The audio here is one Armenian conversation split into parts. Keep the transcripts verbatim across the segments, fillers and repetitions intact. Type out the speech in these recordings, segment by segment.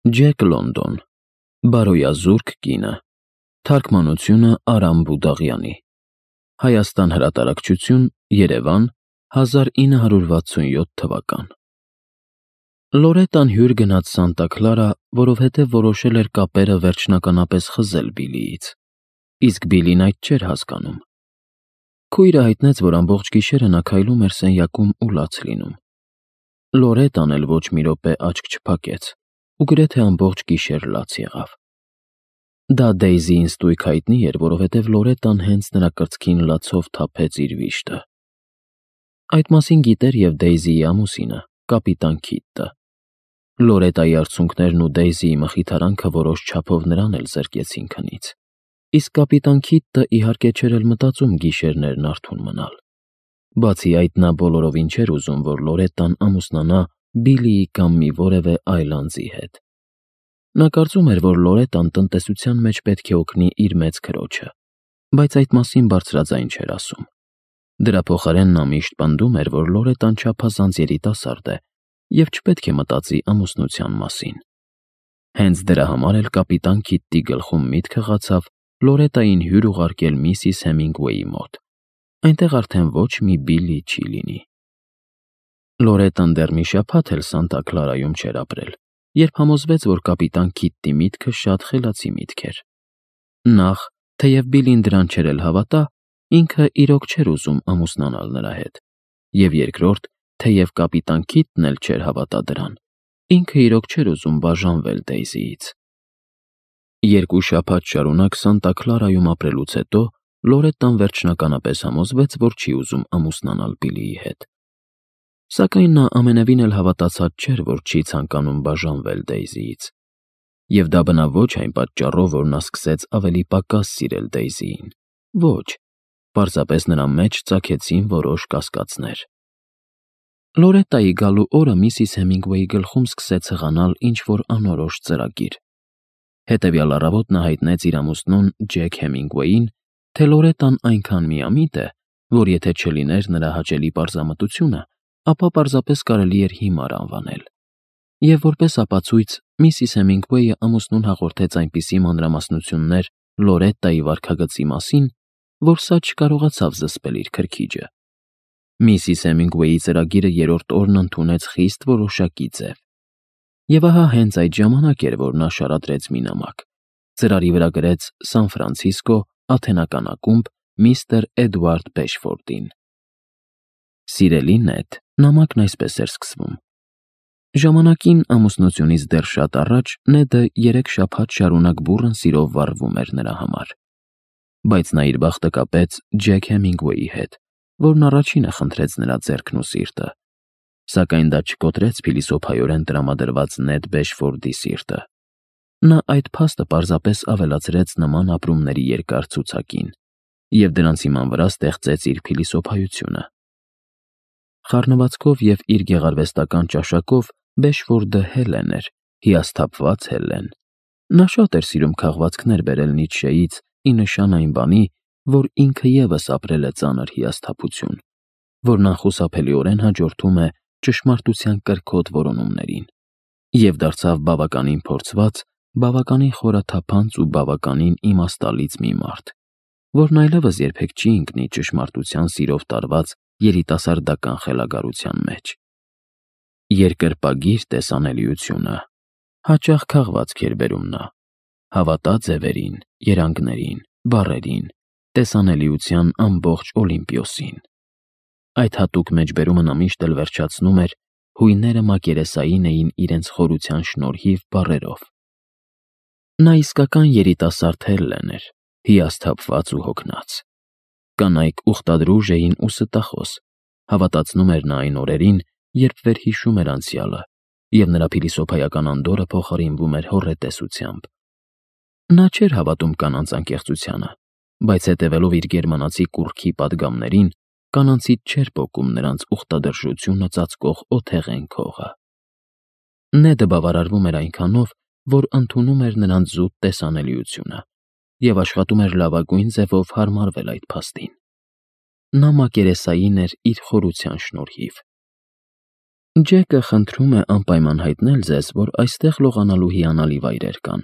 Ջեք Լոնդոն, Բարոյազուրկ կինը, թարգմանությունը Արամ Բուդաղյանի, Հայաստան հրատարակչություն, Երևան, հազար ինը հարյուր վաթսունյոթ թվական։ Լորետան հյուր գնաց Սանտա Քլարա, որովհետև որոշել էր կապերը վերջնականապես խզել Բիլիից, իսկ Բիլին այդ չէր հասկանում։ Քույրը հայտնեց, որ ամբողջ գիշերը նա քայլում էր սենյակում ու լաց լինում։ Լորետան էլ ոչ մի րոպե աչք չփակեց ու գրեթե ամբողջ գիշեր լաց եղավ։ Դա Դեյզիին ստույգ հայտնի էր, որովհետև Լորետան հենց նրա կրծքին լացով թափեց իր վիշտը։ Այդ մասին գիտեր և Դեյզիի ամուսինը, կապիտան Քիդը։ Լորետայի արցունքներն ու Դեյզիի մխիթարանքը որոշ չափով նրան էլ զրկեցին քնից, իսկ կապիտան Քիդը իհարկե չէր էլ մտածում գիշերներն արթուն մնալ։ Բացի այդ, նա բոլորովին չէր ուզում, որ Լորետան ամուսնանա Բիլիի կամ մի որևէ այլ անձի հետ։ Նա կարծում էր, որ Լորետան տնտեսության մեջ պետք է օգնի իր մեծ քրոջը, բայց այդ մասին բարձրաձայն չէր ասում։ Դրա փոխարեն նա միշտ պնդում էր, որ Լորետան չափազանց երիտասարդ է և չպետք է մտածի ամուսնության մասին։ Հենց դրա համար էլ կապիտան Քիդի գլխում միտք հղացավ Լորետային հյուր ուղարկել միսիս Հեմինգուեյի մոտ, այնտեղ արդեն ոչ մի Բիլի չի լինի։ Լորետան դեռ մի շաբաթ էլ Սանտա Քլարայում չէր ապրել, երբ համոզվեց, որ կապիտան Քիդի միտքը շատ խելացի միտք էր։ Նախ, թեև Բիլին դրան չէր էլ հավատա, ինքը իրոք չէր ուզում ամուսնանալ նրա հետ, և երկրորդ, թեև կապիտան Քիդն էլ չէր հավատա դրան, ինքը իրոք չէր ուզում բաժանվել Դեյզիից։ Երկու շաբաթ շարունակ Սանտա Քլարայում ապրելուց հետո Լորետան վերջնականապես համոզվեց, որ չի ուզում ամուսնանալ Բիլիի հետ։ Սակայն նա ամենևին էլ հավատացած չէր, որ չի ցանկանում բաժանվել Դեյզիից։ Եվ դա բնավ ոչ այն պատճառով, որ նա սկսեց ավելի պակաս սիրել Դեյզիին։ Ոչ, պարզապես նրա մեջ ծագեցին որոշ կասկածներ։ Լորետայի գալու օրը միսիս Հեմինգուեյի գլխում սկսեց հղանալ ինչ-որ անորոշ ծրագիր։ Հետևյալ առավոտ նա հայտնեց իր ամուսնուն Ջեք Հեմինգուեյին, թե Լորետան այնքան միամիտ է, որ եթե չլիներ նրա հաճելի պարզամտությունը, ապա պարզապես կարելի էր հիմար անվանել։ Եվ որպես ապացույց միսիս Հեմինգուեյը ամուսնուն հաղորդեց այնպիսի մանրամասնություններ Լորետայի վարքագծի մասին, որ սա չկարողացավ զսպել իր քրքիջը։ Միսիս Հեմինգուեյի ծրագիրը երրորդ օրն ընդունեց խիստ որոշակի ձև։ Եվ ահա հենց այդ ժամանակ էր, որ նա շարադրեց մի նամակ, ծրարի վրա գրեց Սան Ֆրանցիսկո, աթենական ակումբ, միստր Էդուարդ Բեշֆորդին։ Սիրելի Նեդ, նամակն այսպես էր սկսվում. Ժամանակին ամուսնությունից դեռ շատ առաջ Նեդը երեք շաբաթ շարունակ բուռն սիրով վառվում էր նրա համար։ Բայց նա իր բախտը կապեց Ջեք Հեմինգուեյի հետ, որն առաջինը խնդրեց նրա ձեռքն ու սիրտը, սակայն դա չկոտրեց փիլիսոփայորեն տրամադրված Նեդ Բեշֆորդի սիրտը։ Նա այդ փաստը պարզապես ավելացրեց նման ապրումների երկար ցուցակին և դրանց հիման վրա ստեղծեց իր փիլիսոփայությունը։ Խառնվածքով և իր գեղարվեստական ճաշակով Բեշֆորդը Հելեն էր, հիասթափված Հելեն։ Նա շատ էր սիրում քաղվածքներ բերել Նիցշեից ի նշան այն բանի, որ ինքը ևս ապրել է ծանր հիասթափություն, որն անխուսափելիորեն հաջորդում է ճշմարտության կրքոտ որոնումներին, և դարձավ բավականին փորձված, բավականին խորաթափանց ու բավականին իմաստալից մի մարդ, որն այլևս երբեք չի ընկնի ճշմարտության սիրով տարված երիտասարդական խելագարության մեջ։ Երկրպագիր տեսանելիությունը հաճախ քաղվածք էր բերում նա, հավատա ձևերին, երանգներին, բառերին, տեսանելիության ամբողջ Օլիմպիոսին։ Այդ հատուկ մեջբերումը նա միշտ էլ վերջացնում էր հույները մակերեսային էին իրենց խորության շնորհիվ բառերով։ Նա իսկական երիտասարդ Հելլեն էր, հիասթափված ու հոգնած։ Կանայք ուխտադրուժ էին ու ստախոս, հավատացնում էր նա այն օրերին, երբ վերհիշում էր անցյալը, և նրա փիլիսոփայական անդորրը փոխարինվում էր հոռետեսությամբ։ Նա չէր հավատում կանանց անկեղծությանը, բայց հետևելով իր գերմանացի կուռքի պատգամներին, կանանցից չէր պոկում նրանց ուխտադրժությունը ծածկող օթեղեն քողը։ Նեդը բավարարվում էր այնքանով, որ ընդունում էր նրանց զուտ տեսանելիությունը և աշխատում էր լավագույն ձևով հարմարվել այդ փաստին։ Նա մակերեսային էր իր խորության շնորհիվ։ Ջեկը խնդրում է անպայման հայտնել ձեզ, որ այստեղ լողանալու հիանալի վայրեր կան,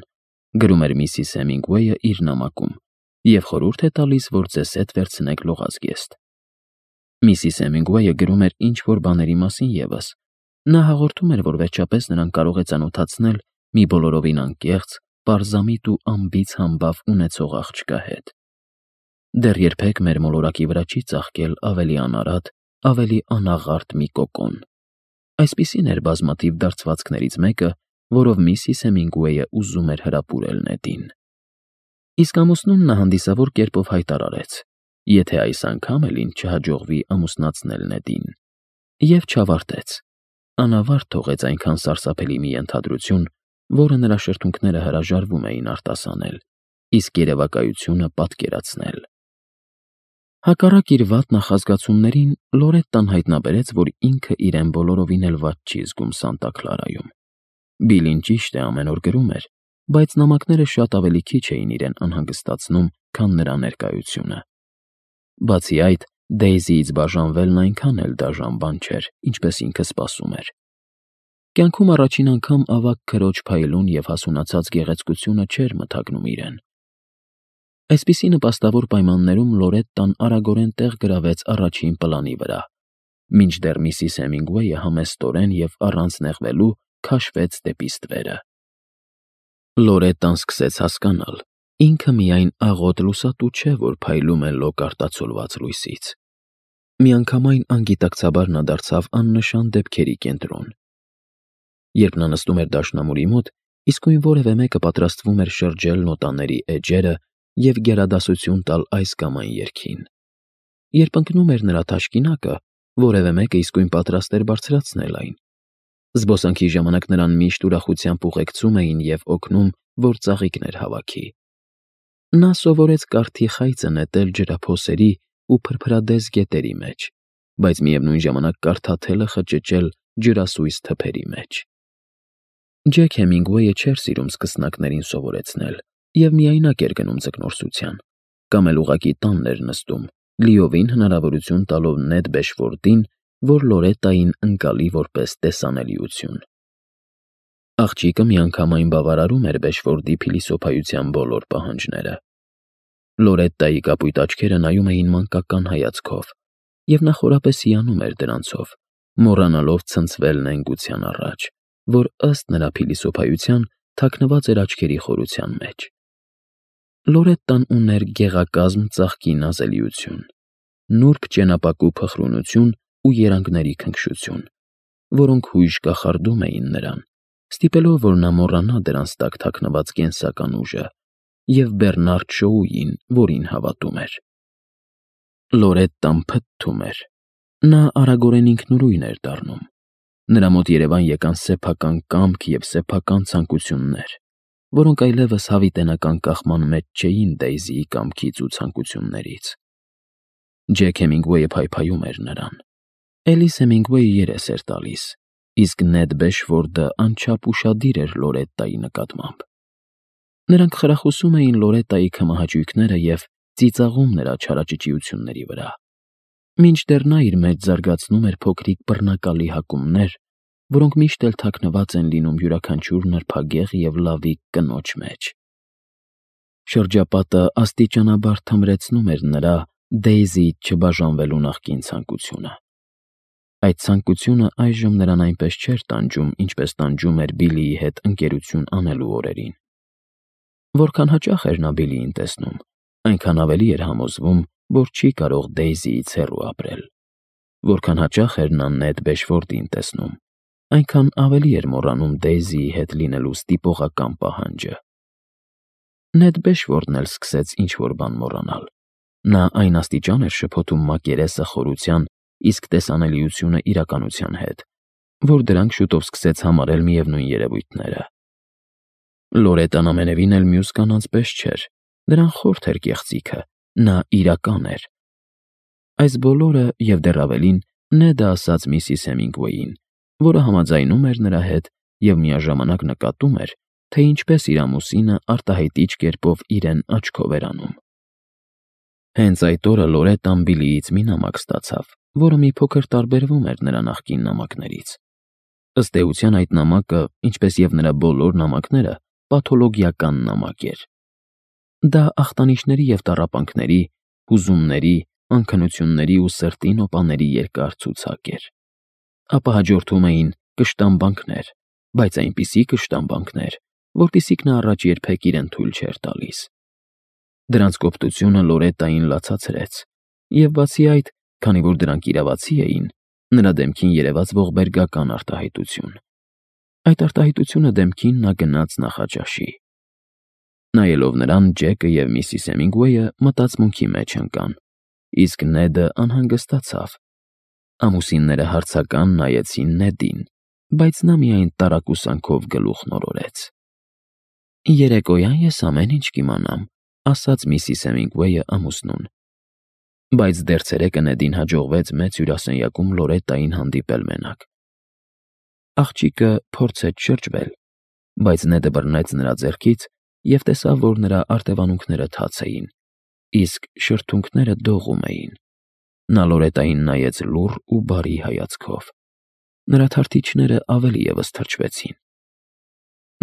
գրում էր միսիս Հեմինգուեյը իր նամակում, և խորհուրդ է տալիս, որ ձեզ հետ վերցնեք լողազգեստ։ Միսիս Հեմինգուեյը գրում էր ինչ-որ բաների մասին ևս։ Նա հաղորդում էր, որ վերջապես նրան կարող է ծանոթացնել մի բոլորովին անկեղծ, պարզամիտ ու անբիծ համբավ ունեցող աղջկա հետ։ Դեռ երբեք մեր մոլորակի վրա չի ծաղկել ավելի անարատ, ավելի անաղարտ մի կոկոն։ Այսպիսին էր բազմաթիվ դարձվածքներից մեկը, որով միսիս Հեմինգուեյը ուզում էր հրապուրել նետին։ Իսկ ամուսնուն նա հանդիսավոր կերպով հայտարարեց, եթե այս անգամ էլ ինձ չհաջողվի ամուսնացնել Նեդին, և չավարտեց, անավարտ թողեց այնքան սարսափելի մի ենթադրություն, որը նրա շրթունքները հրաժարվում էին արտասանել, իսկ երևակայությունը պատկերացնել։ Հակառակ իր վատ նախազգացումներին, Լորետտան հայտնաբերեց, որ ինքը իրեն բոլորովին էլ վատ չի զգում Սանտա Քլարայում։ Բիլին ճիշտ է ամեն օր գրում էր, բայց նամակները շատ ավելի քիչ էին իրեն անհանգստացնում, քան նրա ներկայությունը։ Բացի այդ, Դեյզիից բաժանվելն այնքան էլ դաժան բան չէր, ինչպես ինքը սպասում էր։ Կյանքում առաջին անգամ ավագ քրոջ փայլուն և հասունացած գեղեցկությունը չէր մթագնում իրեն։ Այսպիսի նպաստավոր պայմաններում Լորետտան արագորեն տեղ գրավեց առաջին պլանի վրա, մինչդեռ միսիս Հեմինգուեյը համեստորեն և առանց նեղվելու քաշվեց դեպի ստվերը։ Լորետտան սկսեց հասկանալ, ինքը միայն աղոտ լուսատու չէ, որ փայլում է լոկ արտացոլված լույսից։ Միանգամայն անգիտակցաբար նա դարձավ աննշան դեպքերի կենտրոն։ Երբ նա նստում էր դաշնամուրի մոտ, իսկույն որևէ մեկը պատրաստվում էր շրջել նոտաների էջերը և գերադասություն տալ այս կամ այն երգին։ Երբ ընկնում էր նրա թաշկինակը, որևէ մեկը իսկույն պատրաստ էր բարձրացնել այն։ Զբոսանքի ժամանակ նրան միշտ ուրախությամբ ուղեկցում էին և օգնում, որ ծաղիկներ հավաքի։ Նա սովորեց կարթի խայծը նետել ջրափոսերի ու փրփրադես գետերի մեջ, բայց միևնույն ժամանակ կարթաթելը խճճել ջրասույզ թփերի մեջ։ Ջեք Հեմինգուեյը չէր սիրում սկսնակներին սովորեցնել և միայնակ էր գնում ձկնորսության, կամ էլ ուղղակի տանն էր նստում, լիովին հնարավորություն տալով Նեդ Բեշֆորդին, որ Լորետտային ընկալի որպես տեսանելիություն։ Աղջիկը միանգամայն բավարարում էր Բեշֆորդի փիլիսոփայության բոլոր պահանջները։ Լորետտայի կապույտ աչքերը նայում էին մանկական հայացքով, և նա խորապես հիանում էր դրանցով, մոռանալով ցնցվել նենգության առաջ, որ ըստ նրա փիլիսոփայության թաքնված էր աչքերի խորության մեջ։ Լորետտան ուներ գեղակազմ ծաղկի նազելիություն, նուրբ ճենապակու փխրունություն ու երանգների քնքշություն, որոնք հույժ կախարդում էին նրան, ստիպելով, որ նա մոռանա դրանց տակ թաքնված կենսական ուժը և Բեռնարդ Շոուին, որին հավատում էր։ Լորետտան փթթում էր։ Նա արագորեն ինքնուրույն էր դառնում։ Նրա մոտ Երևան եկան սեփական կամք և սեփական ցանկություններ, որոնք այլևս հավիտենական կախման մեջ չէին Դեյզիի կամքից ու ցանկություններից։ Ջեք Հեմինգուեյը փայփայում էր նրան։ Էլիս Հեմինգուեյը երես էր տալիս, իսկ Նեդ Բեշֆորդը անչափ ուշադիր էր Լորետտայի նկատմամբ։ Նրանք խրախուսում էին Լորետտայի քմահաճույքները և ծիծաղում նրա չարաճճիությունների վրա, մինչդեռ նա իր մեջ զարգացնում էր փոքրիկ բռնակալի հակումներ, որոնք միշտ էլ թաքնված են լինում յուրաքանչյուր նրբագեղ և լավիկ կնոջ մեջ։ Շրջապատը աստիճանաբար թմրեցնում էր նրա Դեյզիից չբաժանվելու նախկին ցանկությունը։ Այդ ցանկությունը այժմ նրան այնպես չէր տանջում, ինչպես տանջում էր Բիլիի հետ ընկերություն անելու օրերին։ Որքան հաճախ էր նա Բիլիին տեսնում, այնքան ավելի էր համոզվում, որ չի կարող Դեյզիից հեռու ապրել։ Որքան հաճախ էր նա Նեդ Բեշֆորդին տեսնում, այնքան ավելի էր մոռանում Դեյզիի հետ լինելու ստիպողական պահանջը։ Նեդ Բեշֆորդն էլ սկսեց ինչ-որ բան մոռանալ։ Նա այն աստիճան էր շփոթում մակերեսը խորության, իսկ տեսանելիությունը իրականության հետ, որ դրանք շուտով սկսեց համարել միևնույն երևույթները։ Լորետտան ամենևին էլ մյուս կանանց պես չէր, նրան խորթ էր կեղծիքը, նա իրական էր։ Այս բոլորը և դեռ ավելին Նեդը ասաց միսիս Հեմինգուեյին, որը համաձայնում էր նրա հետ և միաժամանակ նկատում էր, թե ինչպես իր ամուսինը արտահայտիչ կերպով իրեն աչքով էր անում։ Հենց այդ օրը Լորետտան Բիլիից մի նամակ ստացավ, որը մի փոքր տարբերվում էր նրա նախկին նամակներից։ Ըստ էության այդ նամակը, ինչպես և նրա բոլոր նամակները, պաթոլոգիական նամակ էր։ Դա ախտանիշների և տառապանքների, հուզումների, անքնությունների ու սրտի նոպաների երկար ցուցակ էր։ Ապա հաջորդում էին կշտամբանքներ, բայց այնպիսի կշտամբանքներ, որպիսիք նա առաջ երբեք իրեն թույլ չէր տալիս։ Դրանց կոպտությունը Լորետային լացացրեց, և բացի այդ, քանի որ դրանք իրավացի էին, նրա դեմքին երևաց ողբերգական արտահայտություն։ Այդ արտահայտությունը դեմքին նա գնաց նախաճաշի։ Նայելով նրան, Ջեկը և միսիս Հեմինգուեյը մտածմունքի մեջ ընկան, իսկ Նեդը անհանգստացավ։ Ամուսինները հարցական նայեցին Նեդին, բայց նա միայն տարակուսանքով գլուխն օրորեց։ «Երեկոյան ես ամեն ինչ կիմանամ», ասաց միսիս Հեմինգուեյը ամուսնուն։ Բայց դեռ ցերեկը Նեդին հաջողվեց մեծ հյուրասենյակում Լորետային հանդիպել մենակ։ Աղջիկը փորձեց շրջվել, բայց Նեդը բռնեց նրա ձեռքից և տեսավ, որ նրա արտևանունքները թաց էին, իսկ շրթունքները դողում էին։ Նա Լորետային նայեց լուռ ու բարի հայացքով։ Նրա թարթիչները ավելի ևս թրջվեցին։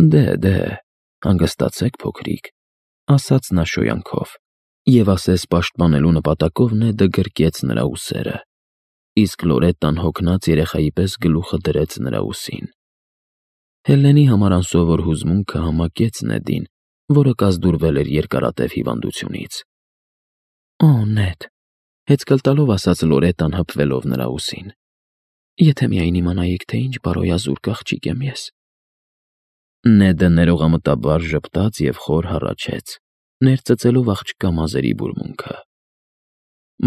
«Դե, դե, հանգստացեք, փոքրիկ», ասաց նա շոյանքով, և ասես պաշտպանելու նպատակով Նեդը գրկեց նրա ուսերը, իսկ Լորետան հոգնած երեխայի պես գլուխը դրեց նրա ուսին։ Հելլենի համար անսովոր հուզմունքը համակեց Նեդին, որը կազդուրվել էր երկարատև հիվանդությունից։ «Օ, Նեդ», հեծկլ տալով ասաց Լորետան, հպվելով նրա ուսին, «եթե միայն իմանայիք, թե ինչ բարոյազուրկ աղջիկ եմ ես»։ Նեդը ներողամտաբար ժպտաց և խոր հառաչեց, ներծծելով աղջկա մազերի բուրմունքը։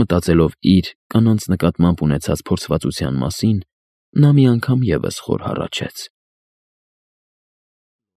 Մտածելով իր կանանց նկատմամբ ունեցած փորձվածության մասին, նա մի անգամ ևս խոր հառաչեց։